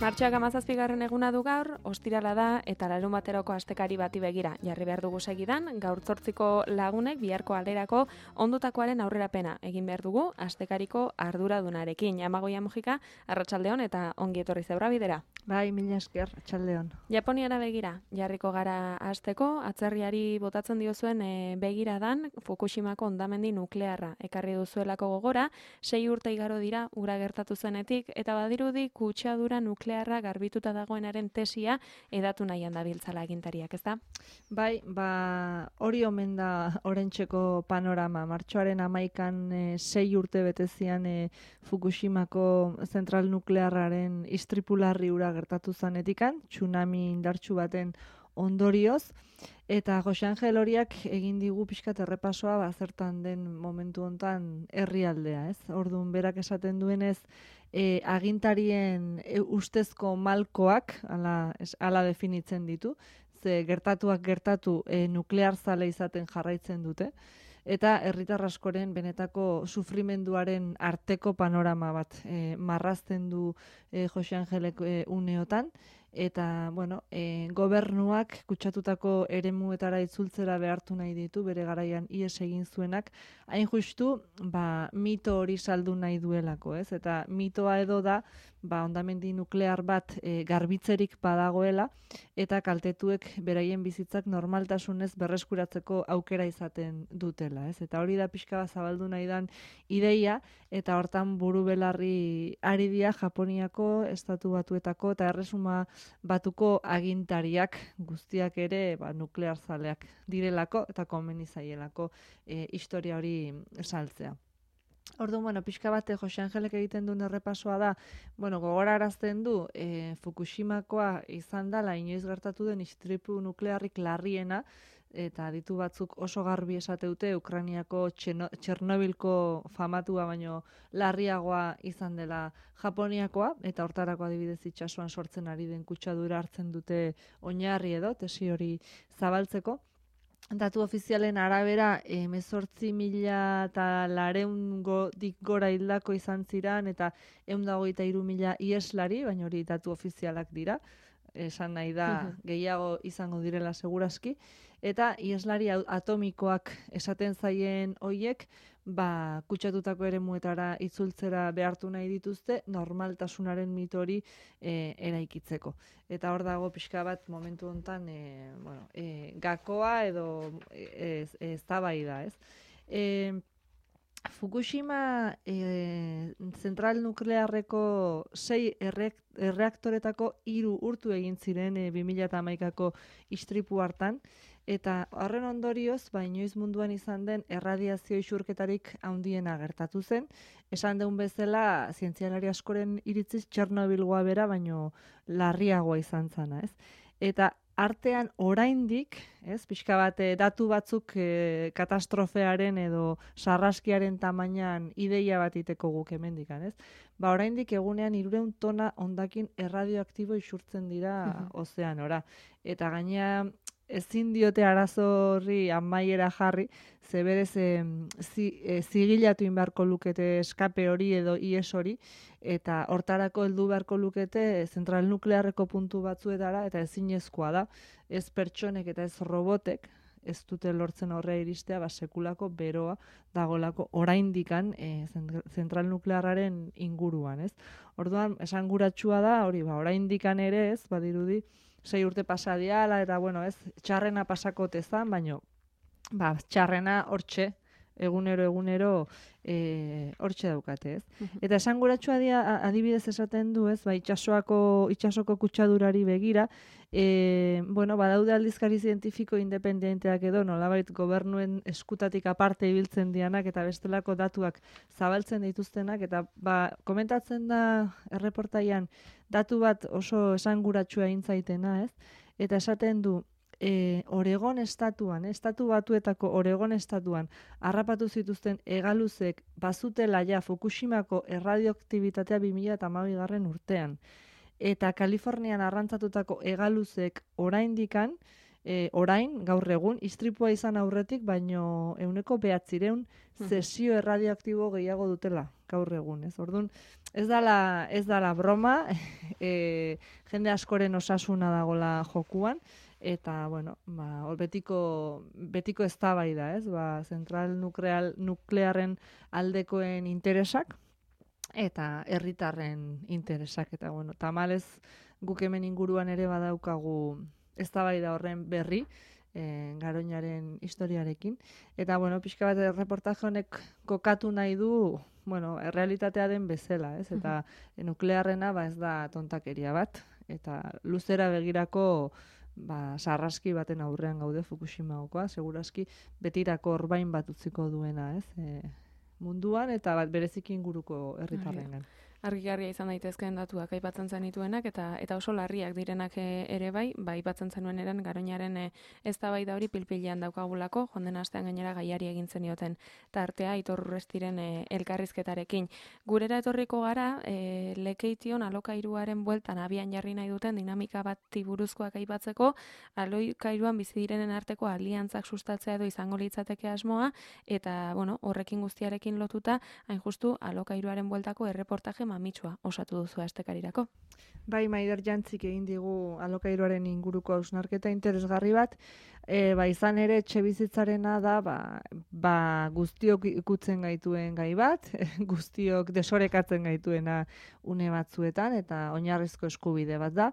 Martxoak 17. eguna du gaur, ostirala da eta larunbateroko astekari bati begira. Jarri behar dugu segidan, gaur 8 lagunek biharko alerako ondotakoaren aurrerapena egin behar dugu astekariko arduradunarekin. Amagoia Mujika, arratsaldeon eta ongi etorri Zebra bidera. Bai, mila esker, arratsaldeon. Japoniara begira, jarriko gara hasteko, atzerriari botatzen diozuen begiradan Fukushimako hondamendi nuklearra ekarri duzuelako gogora, 6 urte igaro dira ura gertatu zenetik eta badirudi kutsadura nuklearra garbituta dagoenaren tesia edatu nahian dabiltzala agintariak, ezta? Bai, hori omen da oraintzeko panorama. Martxoaren 11an 6 urte betezian Fukushimako zentral nuklearraren istripularri ura gertatu zanetikan, tsunami indartsu baten ondorioz, eta Jose Angel horiak egin digu pixkat errepasoa zertan den momentu hontan herrialdea, ez? Orduan berak esaten duenez, agintarien ustezko malkoak, hala definitzen ditu, ze gertatuak gertatu nuklearzale izaten jarraitzen dute, eta herritar askoren benetako sufrimenduaren arteko panorama bat marrazten du Jose Angelek uneotan, eta gobernuak kutsatutako eremuetara itzultzera behartu nahi ditu, bere garaian ihes egin zuenak, hain justu mito hori saldu nahi duelako, ez? Eta mitoa edo da, hondamendi nuklear bat garbitzerik badagoela, eta kaltetuek beraien bizitzak normaltasunez berreskuratzeko aukera izaten dutela, ez? Eta hori da pixka bat zabaldu nahi dan ideia, eta hortan buru belarri ari dira Japoniako, Estatu Batuetako eta Erresuma Batuko agintariak guztiak ere nuklearzaleak direlako eta komeni zaielako historia hori saltzea. Orduan, pixka bat Jose Angelek egiten duen errepasoa da, gogorarazten du Fukushimakoa izan dela inoiz gertatu den istripu nuklearrik larriena, eta aditu batzuk oso garbi esateute Ukrainiako Txernobilko famatua baino larriagoa izan dela Japoniakoa, eta hortarako adibidez itsasoan sortzen ari den kutsadura hartzen dute oinarri edo tesi hori zabaltzeko. Datu ofizialen arabera 18.400 gora hildako izan ziran eta 123.000 ieslari, baina hori datu ofizialak dira, esan nahi da gehiago izango direla segurazki, eta ieslari atomikoak esaten zaien hoiek, kutsatutako eremuetara itzultzera behartu nahi dituzte normaltasunaren mito hori eraikitzeko. Eta hor dago pixka bat momentu hontan gakoa edo eztabaida, ez? Fukushima zentral nuklearreko 6 erreaktoretako 3 urtu egin ziren 2011ko istripu hartan, eta horren ondorioz, inoiz munduan izan den erradiazio isurketarik handiena gertatu zen. Esan deun bezala, zientzialari askoren iritziz Txernobilgoa bera, baino larriagoa izan zana, ez? Eta artean oraindik, ez, pixka bat datu batzuk katastrofearen edo sarraskiaren tamainan ideia bat iteko guk hemendikan, ez? Oraindik egunean 300 tona hondakin erradioaktibo isurtzen dira ozeanora. Eta gainea ezin diote arazo horri amaiera jarri, ze berez zigilatu inbarko lukete eskape hori edo ies hori, eta hortarako heldu beharko lukete zentral nuklearreko puntu batzuetara, eta ezinezkoa da, ez pertsonek eta ez robotek, ez dute lortzen horrea iristea, sekulako beroa dagolako oraindikan zentral nuklearraren inguruan, ez? Orduan, esanguratsua da, hori, oraindikan ere ez, badirudi, 6 urte pasadiala, eta ez, txarrena pasakote zan, baino, txarrena hortxe, egunero hortxe daukate, ez? Eta esanguratsua adibidez esaten du, ez, itsasoko kutsadurari begira, badaude aldizkari zientifiko independenteak edo, nolabait gobernuen eskutatik aparte ibiltzen dianak, eta bestelako datuak zabaltzen dituztenak, eta komentatzen da erreportaian datu bat oso esanguratsua intzaitena, ez? Eta esaten du, Oregon estatuan, estatu batuetako Oregon estatuan, harrapatu zituzten hegaluzek bazutela Fukushimako erradioaktibitatea 2012 urtean. Eta Kalifornian arrantzatutako hegaluzek oraindikan, gaur egun, istripua izan aurretik, baino 900 zesio erradioaktibo gehiago dutela gaur egun, ez? Orduan, ez dala broma, jende askoren osasuna dagola jokuan, eta, bueno, betiko eztabaida, ez? Zentral nuklearren aldekoen interesak, eta herritarren interesak, eta, bueno, tamalez guk hemen inguruan ere badaukagu eztabaida horren berri, Garoñaren historiarekin. Eta, bueno, pixka bat reportaje honek kokatu nahi du, bueno, realitatea den bezala, ez? Eta nuklearrena ez da tontakeria bat, eta luzera begirako sarraski baten aurrean gaude Fukushimakoa, segurazki betirako orbain bat utziko duena, ez? Munduan eta bat bereziki inguruko herritarrengan. Argigarria izan daitezkeen datuak aipatzen zenituenak eta oso larriak direnak ere bai aipatzen zenuen eran Garoñaren eztabaida hori pilpilean daukagulako, joan den astean gainera gaiari egin zenioten tartea Aitor Urrestiren elkarrizketarekin. Gurera etorriko gara, Lekeition alokairuaren bueltan abian jarri nahi duten dinamika bati buruzkoak aipatzeko, alokairuan bizi direnen arteko aliantzak sustatzea edo izango litzateke asmoa, eta bueno, horrekin guztiarekin lotuta, hain justu alokairuaren bueltako erreportaje mamitsua osatu duzu astekarirako. Bai, Maider Jantzik egin digu alokairuaren inguruko hausnarketa interesgarri bat, izan ere etxebizitzarena da, guztiok ikutzen gaituen gai bat, guztiok desorekatzen gaituena une batzuetan, eta oinarrizko eskubide bat da.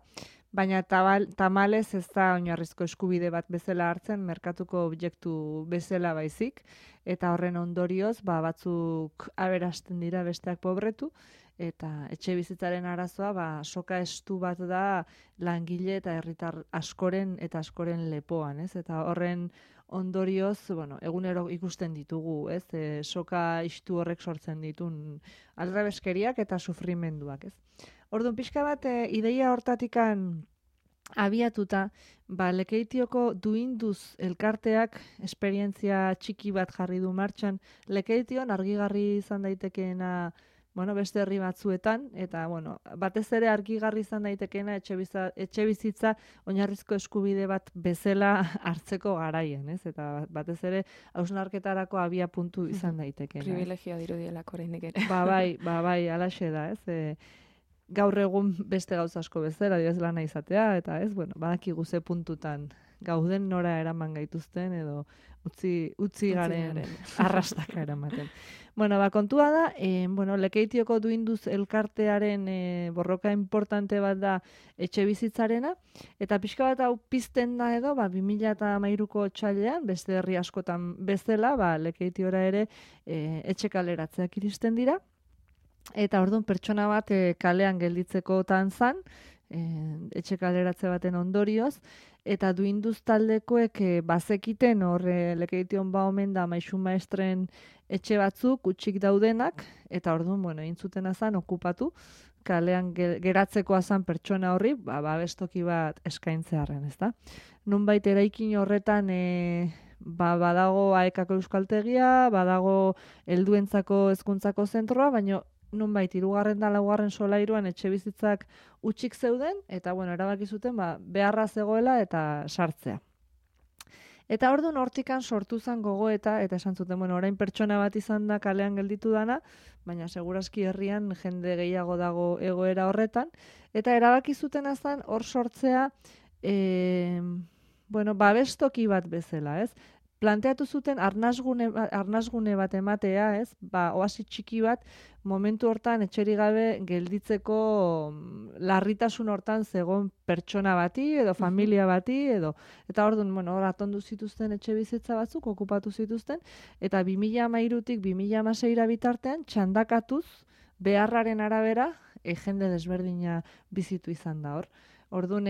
Baina tamalez ez da oinarrizko eskubide bat bezala hartzen, merkatuko objektu bezala baizik, eta horren ondorioz, batzuk aberasten dira besteak pobretu, eta etxe bizitzaren arazoa soka estu bat da langile eta herritar askoren lepoan, ez? Eta horren ondorioz, bueno, egunero ikusten ditugu, ez? Soka istu horrek sortzen ditun aldrebeskeriak eta sufrimenduak, ez? Orduan pixka bat ideia hortatikan abiatuta, Lekeitioko duinduz elkarteak esperientzia txiki bat jarri du martxan. Lekeition argigarri izan daitekeena, beste herri batzuetan, eta, batez ere argigarri izan daitekeena etxe bizitza oinarrizko eskubide bat bezala hartzeko garaien, ez? Eta batez ere hausnarketarako abia puntu izan daitekeena. Privilegioa dirudielako oraindik ere. Bai, halaxe da, ez? Gaur egun beste gauza asko bezala, ez lana izatea, eta ez, badakigu ze puntutan gauden nora eraman gaituzten, edo utzi garen arrastaka eramaten. Kontua da, Lekeitioko duinduz elkartearen borroka importante bat da etxe bizitzarena, eta pixka bat hau pizten da edo, 2013ko otsailean, beste herri askotan bezala, Lekeitiora ere etxe kaleratzeak iristen dira, eta orduan pertsona bat kalean gelditzekotan zan, etxe kaleratze baten ondorioz, eta duinduz taldekoek bazekiten hor Lekeition omen da maisu maestren etxe batzuk utxik daudenak, eta orduan, egin zuten azan okupatu, kalean geratzekoa zan pertsona horri, babestoki bat eskaintzearen, ezta? Nunbait eraikin horretan badago AEKako euskaltegia, badago helduentzako hezkuntzako zentroa, baina nunbait 3. da 4. solairuan etxe bizitzak utxik zeuden, eta erabaki zuten beharra zegoela eta sartzea. Eta orduan hortikan sortu zen gogoeta, eta esan zuten, orain pertsona bat izan da kalean gelditu dana, baina segurazki herrian jende gehiago dago egoera horretan, eta erabaki zuten azan hor sortzea, babestoki bat bezala, ez? Planteatu zuten arnasgune bat ematea, ez? Oasi txiki bat, momentu hortan etxerik gabe gelditzeko larritasun hortan zegoen pertsona bati edo familia bati edo. Eta orduan, hor atondu zituzten etxe bizitza batzuk, okupatu zituzten, eta 2013tik 2016 bitartean txandakatuz beharraren arabera jende desberdina bizitu izan da hor. Orduan,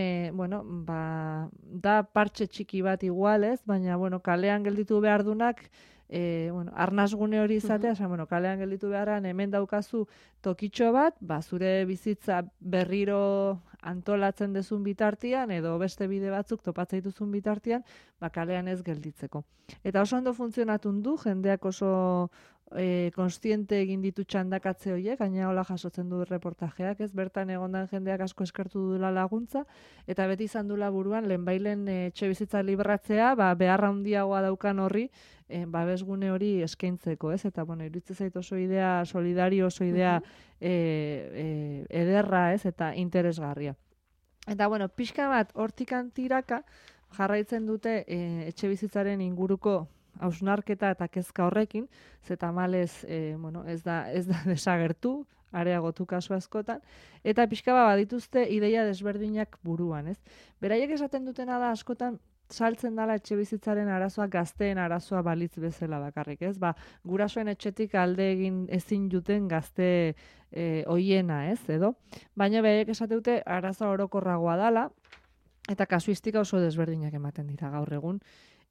da partxe txiki bat igualez, baina, kalean gelditu behar dunak, arnasgune hori izatea, kalean gelditu beharran hemen daukazu tokitxo bat, zure bizitza berriro antolatzen dezun bitartian, edo beste bide batzuk topatzen dituzun bitartian, kalean ez gelditzeko. Eta oso ondo funtzionatun du, jendeak oso konstiente egin ditu txandakatze horiek, gaina hola jasotzen du reportajeak, ez bertan egondan jendeak asko eskertu duela laguntza, eta beti izan dula buruan, lehenbailen etxe bizitza libratzea, beharra handiagoa daukan horri, babesgune hori eskaintzeko, ez? Eta, bueno, iruditzen zait oso idea solidario, oso idea ederra, ez? Eta interesgarria. Eta, bueno, pixka bat hortikan tiraka jarraitzen dute etxe bizitzaren inguruko hausnarketa eta kezka horrekin, ze tamalez, ez da desagertu, areagotu kasu askotan, eta pixka bat badituzte ideia desberdinak buruan, ez? Beraiek esaten dutena da askotan saltzen dala etxe bizitzaren arazoa gazteen arazoa balitz bezala bakarrik, ez? Gurasoen etxetik alde egin ezin juten gazte hoiena, ez? Edo? Baina beraiek esate dute arazoa orokorragoa dala, eta kasuistika oso desberdinak ematen dira gaur egun.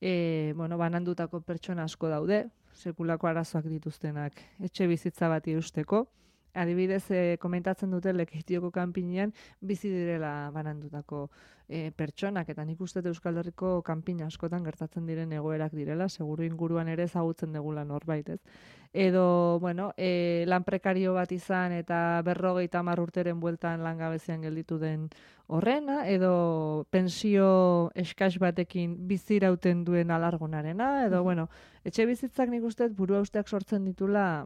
Banandutako pertsona asko daude, sekulako arazoak dituztenak etxe bizitza bat irusteko. Adibidez, komentatzen dute Lekeitioko kanpinean bizi direla banandutako pertsonak, eta nik uste Euskal Herriko kanpin askotan gertatzen diren egoerak direla, seguru inguruan ere ezagutzen degula norbait, ez? Edo, lan prekario bat izan eta 50 urteren bueltan langabezian gelditu den horrena, edo pensio eskas batekin bizirauten duen alargunarena, edo, etxe bizitzak nik uste burua usteak sortzen ditula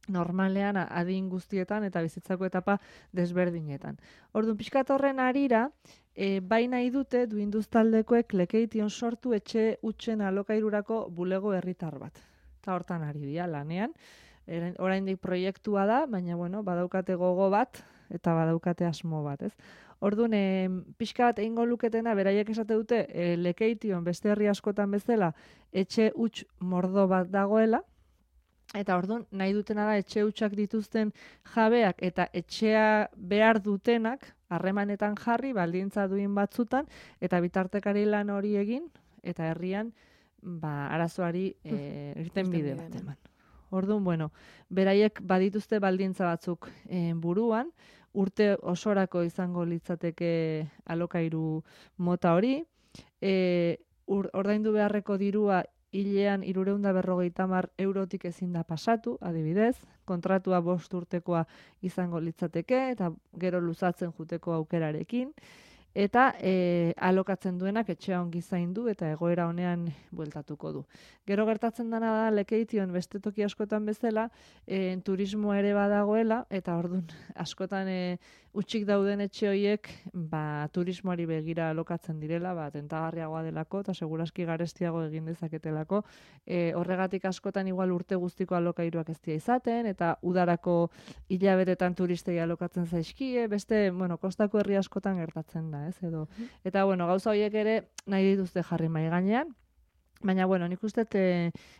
normalean adin guztietan eta bizitzako etapa desberdinetan. Orduan, pixkat horren arira, bai nahi dute duinduz taldekoek Lekeition sortu etxe utxen alokairurako bulego herritar bat. Eta hortan ari dira lanean. Oraindik proiektua da, baina badaukate gogo bat eta badaukate asmo bat, ez? Orduan, pixka bat egingo luketena, beraiek esate dute, Lekeition beste herri askotan bezala etxe utx mordo bat dagoela, eta orduan, nahi dutena da etxe hutsak dituzten jabeak eta etxea behar dutenak harremanetan jarri, baldintza duin batzutan, eta bitartekari lan hori egin, eta herrian arazoari irten bide bat eman. Orduan, beraiek badituzte baldintza batzuk buruan, urte osorako izango litzateke alokairu mota hori, ordaindu beharreko dirua hilean 350 eurotik ezin da pasatu, adibidez, kontratua 5 urtekoa izango litzateke, eta gero luzatzen juteko aukerarekin, eta alokatzen duenak etxea ongi zaindu eta egoera honean bueltatuko du. Gero gertatzen dena da Lekeition beste toki askotan bezala, turismo ere badagoela, eta orduan askotan utxik dauden etxe horiek turismoari begira alokatzen direla, tentagarriagoa delako eta seguraski garestiago egin dezaketelako. Horregatik askotan igual urte guztiko alokairuak ez dira izaten, eta udarako hilabetetan turistei alokatzen zaizkie, beste, kostako herri askotan gertatzen da, ez? Eta, gauza horiek ere nahi dituzte jarri mahai gainean, baina, nik uste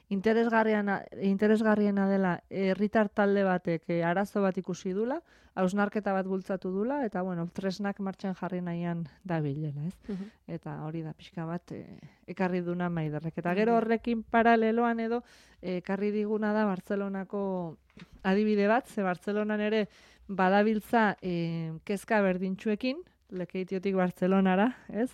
interesgarriena dela herritar talde batek arazo bat ikusi dula, hausnarketa bat bultzatu dula, eta, tresnak martxan jarri nahian dabilela, ez? Eta hori da pixka bat ekarri duna Maiderrek. Eta gero horrekin paraleloan edo ekarri diguna da Bartzelonako adibide bat, ze Bartzelonan ere badabiltza kezka berdintxuekin, Lekeitiotik Bartzelonara, ez?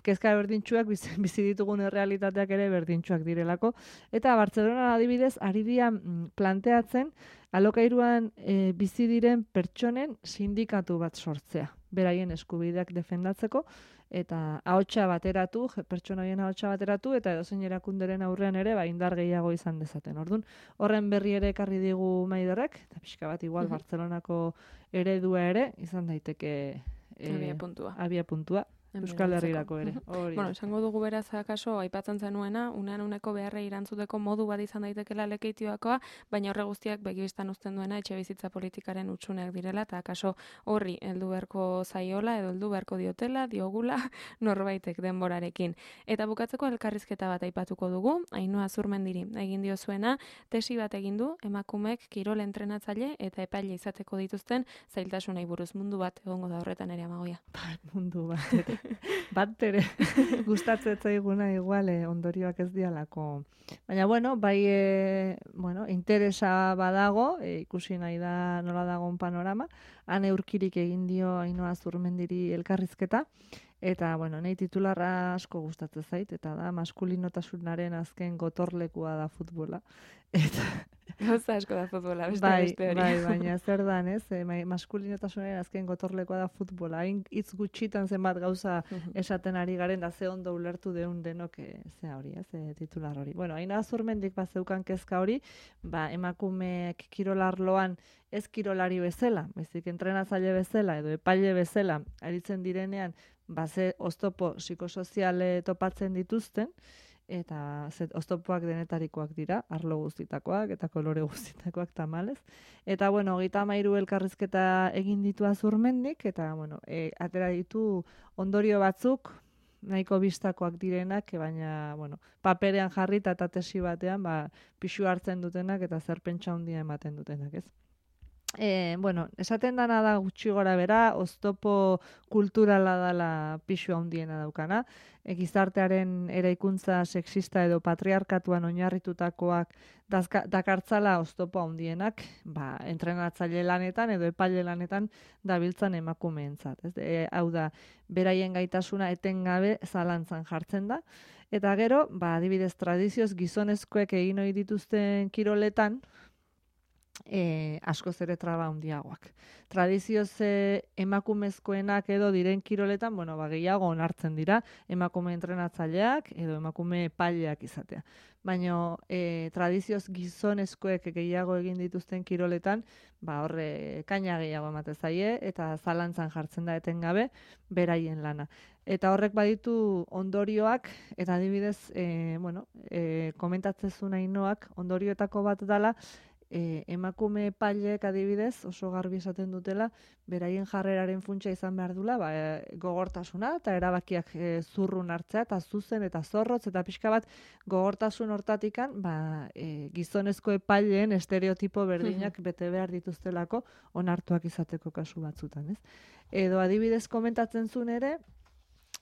Kezka berdintxuak bizi ditugun errealitateak ere berdintxuak direlako, eta Bartzelona adibidez ari dira planteatzen alokairuan bizi diren pertsonen sindikatu bat sortzea, beraien eskubideak defendatzeko, eta ahotsa bateratu, pertsona horien ahotsa bateratu, eta edozein erakunderen aurrean ere indar gehiago izan dezaten. Orduan, horren berri ere ekarri digu Maiderrek, eta pixka bat igual Bartzelonako eredua ere izan daiteke abia puntua. Euskal Herrirako ere. Esango dugu beraz akaso aipatzen zenuena, uneko beharrei erantzuteko modu bat izan daitekela Lekeitioakoa, baina horre guztiak begibistan uzten duena etxe bizitza politikaren utsuneak direla, eta akaso horri heldu beharko zaiola edo heldu beharko diogula norbaitek denborarekin. Eta bukatzeko elkarrizketa bat aipatuko dugu, Ainhoa Zurmendiri egin diozuena, tesi bat egin du emakumeek kirol entrenatzaile eta epaile izateko dituzten zailtasunei buruz. Mundu bat egongo da horretan ere, Amagoia. Mundu bat. Bat ere gustatzen zaiguna igual ondorioak ez dialako. Baina bai interesa badago, ikusi nahi da nola dagoen panorama. Han eurkirik egin dio Ainhoa Zurmendiri elkarrizketa, Eta, bueno, nahi titularra asko gustatzen zait, eta da, maskulinotasunaren azken gotorlekua da futbola. Eta Gauza asko da futbola, beste bai, beste hori. bai, baina zer dan, ez? Maskulinotasunaren azken gotorlekoa da futbola. Hain hitz gutxitan zenbat gauza esaten ari garen, da ze ondo ulertu deun denok ze hori, ez? Titular hori. Bueno, hain azurmendik bazeukan kezka hori, emakumeek kirolarloan ez kirolari bezala, bezik entrenatzaile bezala edo epaile bezala aritzen direnean, ze oztopo psikosoziale topatzen dituzten, eta oztopoak denetarikoak dira, arlo guztitakoak eta kolore guztitakoak tamalez. Eta, bueno, 33 elkarrizketa egin ditu Azurmendik, eta, bueno, atera ditu ondorio batzuk, nahiko bistakoak direnak, baina, bueno, paperean jarri eta tesi batean, pixu hartzen dutenak eta zer pentsa handia ematen dutenak, ez? Bueno, esaten dana da gutxi gora bera, oztopo kulturala dala pixu handiena daukana, gizartearen eraikuntza sexista edo patriarkatuan oinarritutakoak dakartzala oztopo handienak, entrenatzaile lanetan edo epaile lanetan dabiltzan emakumeentzat. Hau da, beraien gaitasuna etengabe zalantzan jartzen da, eta gero, adibidez tradizioz gizonezkoek egin ohi dituzten kiroletan, askoz ere traba handiagoak. Tradizioz emakumezkoenak edo diren kiroletan, gehiago onartzen dira emakume entrenatzaileak edo emakume epaileak izatea. Baina tradizioz gizonezkoek gehiago egin dituzten kiroletan, horre kaina gehiago ematen zaie eta zalantzan jartzen da etengabe beraien lana. Eta horrek baditu ondorioak, eta adibidez, komentatzen Ainoak, ondorioetako bat dela, emakume epaileek adibidez oso garbi esaten dutela beraien jarreraren funtsa izan behar dula gogortasuna eta erabakiak zurrun hartzea eta zuzen eta zorrotz eta pixka bat gogortasun hortatikan gizonezko epaileen estereotipo berdinak bete behar dituztelako onartuak izateko kasu batzutan, ez? Edo adibidez komentatzen zuen ere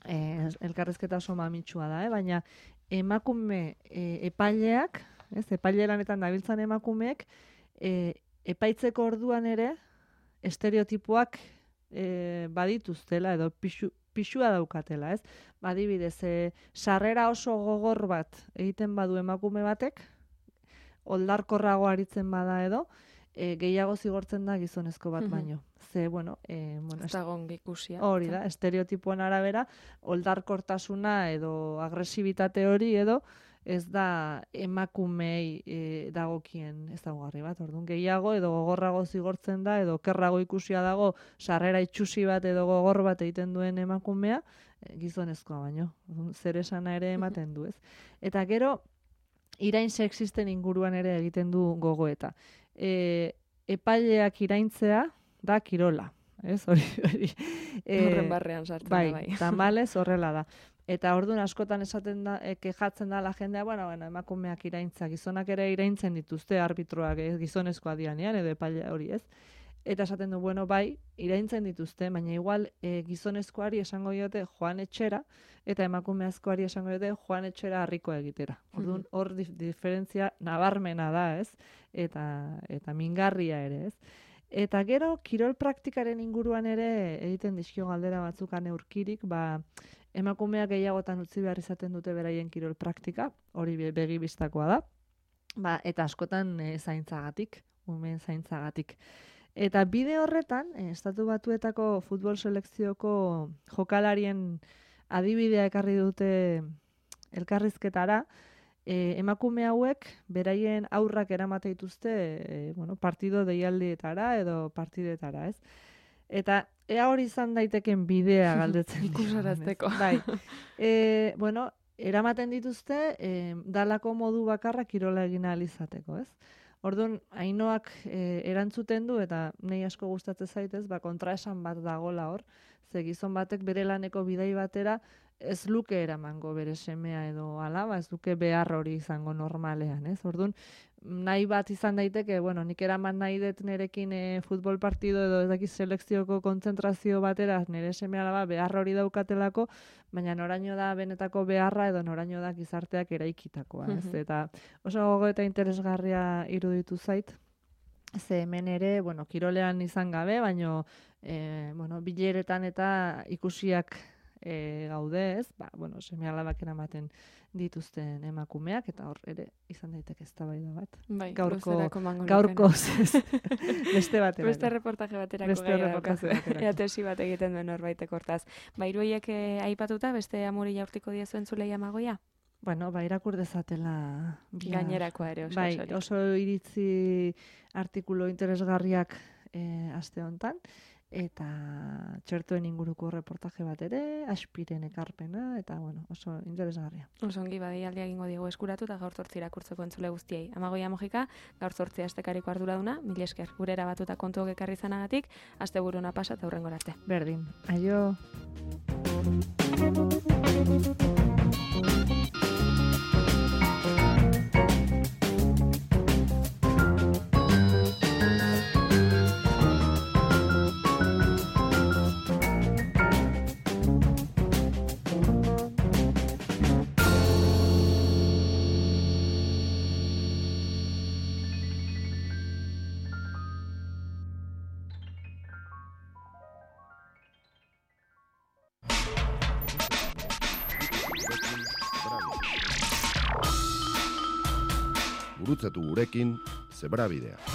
elkarrizketa oso mamitsua da, baina emakume epaileak, epaile lanetan dabiltzan emakumeek, epaitzeko orduan ere, estereotipoak badituztela edo pixua daukatela, ez? Adibidez, sarrera oso gogor bat egiten badu emakume batek, oldarkorrago aritzen bada edo, gehiago zigortzen da gizonezko bat baino. Hori da, estereotipoen arabera, oldarkortasuna edo agresibitate hori edo, ez da emakumei dagokien ezaugarri bat. Orduan gehiago edo gogorrago zigortzen da edo okerrago ikusia dago sarrera itxusi bat edo gogor bat egiten duen emakumea gizonezkoa baino. Zer esana ere ematen du, ez? Eta gero irain sexisten inguruan ere egiten du gogoeta. Epaileak iraintzea da kirola, ez? Hori. Horren barrean sartzen da bai. Tamalez horrela da. Eta orduan askotan esaten da, kejatzen da la jendea, emakumeak iraintza, gizonak ere iraintzen dituzte arbitroak gizonezkoa dianean, edo epaile hori, ez? Eta esaten du, bai, iraintzen dituzte, baina igual gizonezkoari esango diote joan etxera, eta emakumeazkoari esango diote joan etxera harriko egitera. Orduan hor diferentzia nabarmena da, ez? Eta mingarria ere, ez? Eta gero, kirol praktikaren inguruan ere egiten dizkio galdera batzuk aneurkirik, emakumeak gehiagotan utzi behar izaten dute beraien kirol praktika, hori begi bistakoa da, eta askotan zaintzagatik, umeen zaintzagatik. Eta bide horretan, Estatu Batuetako futbol selekzioko jokalarien adibidea ekarri dute elkarrizketara, emakume hauek beraien aurrak eramate dituzte partido deialdietara edo partidetara, ez? Eta ea hori izan daiteken bidea galdetzen ikusarazteko. Bai. Eramaten dituzte dalako modu bakarra kirola egin ahal izateko, ez? Orduan, Ainoak erantzuten du eta nei asko gustatzen zaitez, kontraesan bat dagola hor, ze gizon batek bere laneko bidai batera ez luke eramango bere semea edo alaba, ez luke behar hori izango normalean, ez? Orduan, nahi bat izan daiteke, nik eraman nahi dut nerekin futbol partido edo ez dakiz selekzioko kontzentrazio batera nire seme alaba behar hori daukatelako, baina noraino da benetako beharra edo noraino da gizarteak eraikitakoa, ez? Eta oso gogo eta interesgarria iruditu zait, ze hemen ere, kirolean izan gabe, baina bileretan eta ikusiak gaude, ez? Bueno, seme-alabak eramaten dituzten emakumeak, eta hor ere izan daiteke eztabaida bat. Bai, gaurko beste baterako. Beste reportaje baterako gai tesi bat egiten duen norbaitek hortaz. Hiruiek aipatuta, beste amuri jaurtiko diezuen zulei amagoia? Bueno, irakur dezatela. Gainerakoa ere oso. Bai, oso iritzi artikulu interesgarriak aste honetan, eta txertoen inguruko reportaje bat ere, Aspiren ekarpena, eta bueno, oso interesgarria. Oso ongi badialdia egingo digu eskuratu, eta gaur 8 irakurtzeko entzule guztiei. Amagoia Mojika, gaur 8 astekariko arduraduna, mil esker, gure erabatuta kontuok ekarri izanagatik, asteburuna pasa eta hurrengora arte. Berdin, aio! Gurutzatu gurekin Zebrabidea.